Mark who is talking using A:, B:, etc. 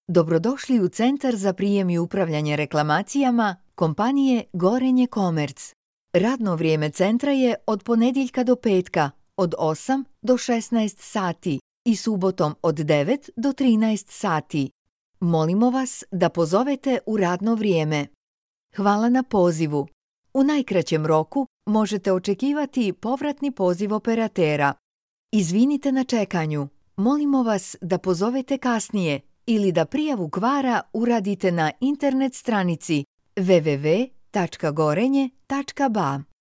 A: Dobrodošli u Centar za prijem i upravljanje reklamacijama kompanije Gorenje Komerc. Radno vrijeme centra je od ponedjeljka do petka od 8 do 16 sati i subotom od 9 do 13 sati. Molimo vas da pozovete u radno vrijeme. Hvala na pozivu. U najkraćem roku možete očekivati povratni poziv operatera. Izvinite na čekanju. Molimo vas da pozovete kasnije ili da prijavu kvara uradite na internet stranici www.gorenje.ba.